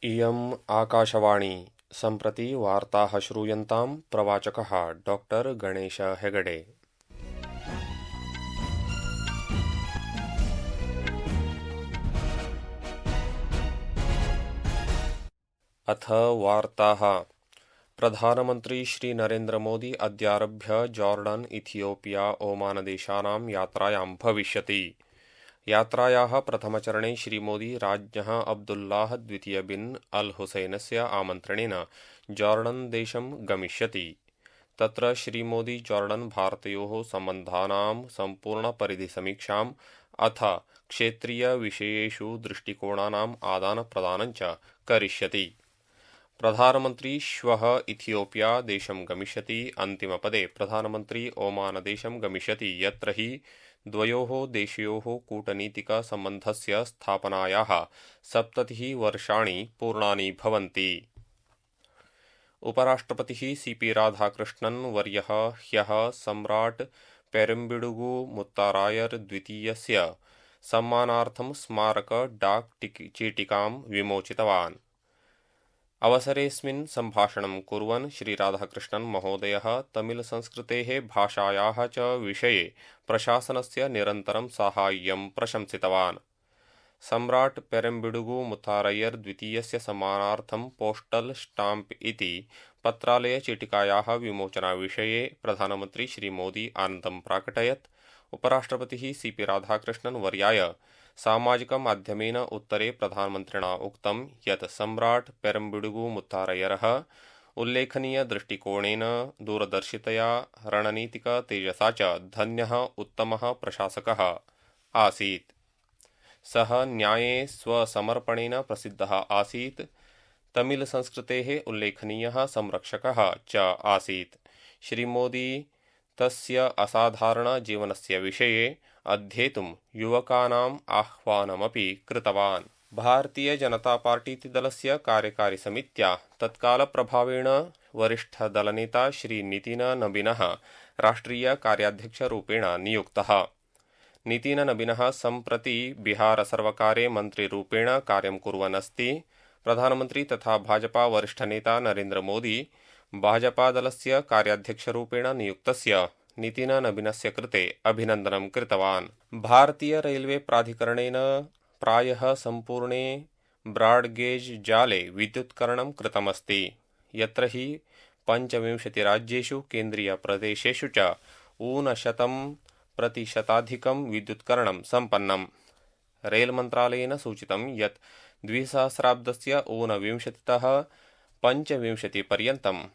इयम् आकाशवाणी सम्प्रति वार्ताः श्रूयन्तां प्रवाचकः डॉक्टर गणेश हेगडे। अथ वार्ताः। प्रधानमन्त्री श्री नरेन्द्र मोदी अद्यारभ्य जॉर्डन, इथियोपिया, ओमान देशानां यात्रायां भविष्यति। यात्रायाः प्रथमचरणे श्रीमोदी राज्ञः अब्दुल्लाह द्वितीय बिन अल हुसैनस्य आमन्त्रणेन जॉर्डन देशं गमिष्यति। तत्र श्रीमोदी जॉर्डन भारतयोः सम्बन्धानां सम्पूर्णपरिधिसमीक्षाम् अथ क्षेत्रीयविषयेषु दृष्टिकोणानाम् आदानप्रदानं च करिष्यति। प्रधानमन्त्री श्वः इथियोपिया देशं गमिष्यति। अन्तिमपदे प्रधानमन्त्री ओमान देशं गमिष्यति, यत्र हि द्वयोः देशयोः कूटनीतिकसम्बन्धस्य स्थापनायाः 70 वर्षाणि पूर्णानि भवन्ति। उपराष्ट्रपतिः सीपी राधाकृष्णन् वर्यः ह्यः सम्राट् पेरुम्बिडुगु मुत्तारायर् द्वितीयस्य सम्मानार्थं स्मारक डाक चीटिकां विमोचितवान्। अवसरेऽस्मिन् सम्भाषणं कुर्वन् श्री राधाकृष्णन् महोदयः तमिलसंस्कृतेः भाषायाः च विषये प्रशासनस्य निरन्तरं साहाय्यं प्रशंसितवान्। सम्राट् पेरुम्बिडुगु मुत्तारय्यर् द्वितीयस्य सम्मानार्थं पोस्टल स्टाम्प इति पत्रालयचीटिकायाः विमोचनाविषये प्रधानमन्त्री श्रीमोदी आनन्दं प्राकटयत्। उपराष्ट्रपतिः सीपी राधाकृष्णन् वर्याय सामाजिकमाध्यमेन उत्तरे प्रधानमन्त्रिणा उक्तं यत् सम्राट् पेरुम्बिडुगु मुत्तारय्यरः उल्लेखनीयदृष्टिकोणेन, दूरदर्शितया, रणनीतिकतेजसा च धन्यः उत्तमः प्रशासकः आसीत्। सः न्याये स्वसमर्पणेन प्रसिद्धः आसीत्। तमिलसंस्कृतेः उल्लेखनीयः संरक्षकः च आसीत्। श्रीमोदी तस्य असाधारणजीवनस्य विषये अध्येतुं युवकानाम् आह्वानमपि कृतवान्। भारतीयजनतापार्टीतिदलस्य कार्यकारिसमित्या तत्कालप्रभावेण वरिष्ठदलनेता श्री नितिननबीनः राष्ट्रियकार्याध्यक्षरूपेण नियुक्तः। नितिननबीनः सम्प्रति बिहारसर्वकारे मन्त्रिरूपेण कार्यं कुर्वन् अस्ति। प्रधानमन्त्री तथा भाजपा वरिष्ठनेता नरेन्द्र मोदी भाजपादलस्य कार्याध्यक्षरूपेण नियुक्तस्य नितिननबीनस्य कृते अभिनन्दनं कृतवान्। भारतीयरैल्वे प्राधिकरणेन प्रायः सम्पूर्णे ब्राड्गेज जाले विद्युत्करणं कृतमस्ति, यत्र हि 25 राज्येषु केन्द्रीयप्रदेशेषु च 90% विद्युत्करणं सम्पन्नम्। रेलमन्त्रालयेन सूचितं यत् 2000 ऊनविंशतितः 25 पर्यन्तं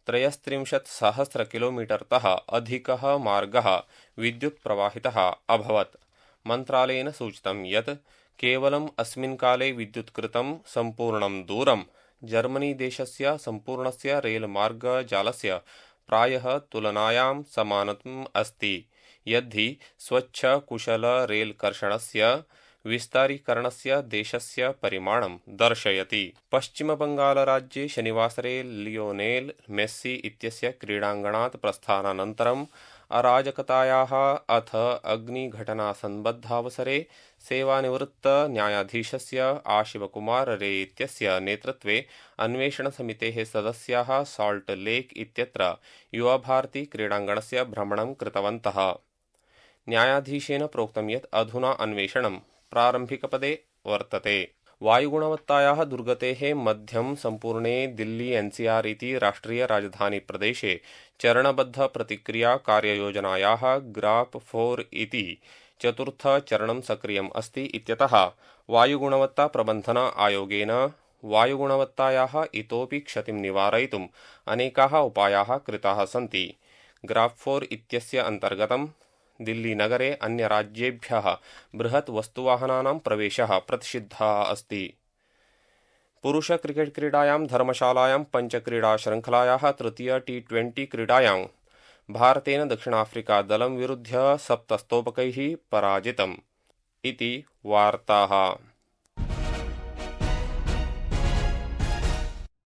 33,000 किलोमीटर्तः अधिकः मार्गः विद्युत् प्रवाहितः अभवत्। मन्त्रालयेन सूचितं यत् केवलम् अस्मिन् काले विद्युत्कृतं सम्पूर्णं दूरं जर्मनीदेशस्य सम्पूर्णस्य रेलमार्गजालस्य प्रायः तुलनायां समानम् अस्ति, यद्धि स्वच्छकुशलरेलकर्षणस्य विस्तारीकरणस्य देशस्य परिमाणं दर्शयति। पश्चिमबङ्गालराज्ये शनिवासरे लियोनेल् मेस्सी इत्यस्य क्रीडाङ्गणात् प्रस्थानानन्तरम् अराजकतायाः अथ अग्निघटनासम्बद्धावसरे सेवानिवृत्तन्यायाधीशस्य आशिवकुमार रे इत्यस्य नेतृत्वे अन्वेषणसमितेः सदस्याः साल्ट् लेक् इत्यत्र युवाभारती क्रीडाङ्गणस्य भ्रमणं कृतवन्तः। न्यायाधीशेन प्रोक्तं यत् अधुना अन्वेषणं प्रारम्भिकपदे वर्तते। वायुगुणवत्तायाः दुर्गतेः मध्यं सम्पूर्णे दिल्ली एनसीआर इति राष्ट्रियराजधानीप्रदेशे चरणबद्धप्रतिक्रिया कार्ययोजनायाः ग्राफ 4 इति चतुर्थचरणं सक्रियम् अस्ति इत्यतः वायुगुणवत्ताप्रबन्धन आयोगेन वायुगुणवत्तायाः इतोपि क्षतिं निवारयितुम् अनेकाः उपायाः कृताः सन्ति। ग्राफ 4 इत्यस्य अन्तर्गतं दिल्लीनगरे अन्यराज्येभ्यः बृहत् वस्तुवाहनानां प्रवेशः प्रतिषिद्धः अस्ति। पुरुषक्रिकेट् क्रीडायां धर्मशालायां पञ्चक्रीडाशृङ्खलायाः तृतीय T20 क्रीडायां भारतेन दक्षिणाफ्रिकादलं विरुध्य 7 स्तोपकैः पराजितम्। इति वार्ताः।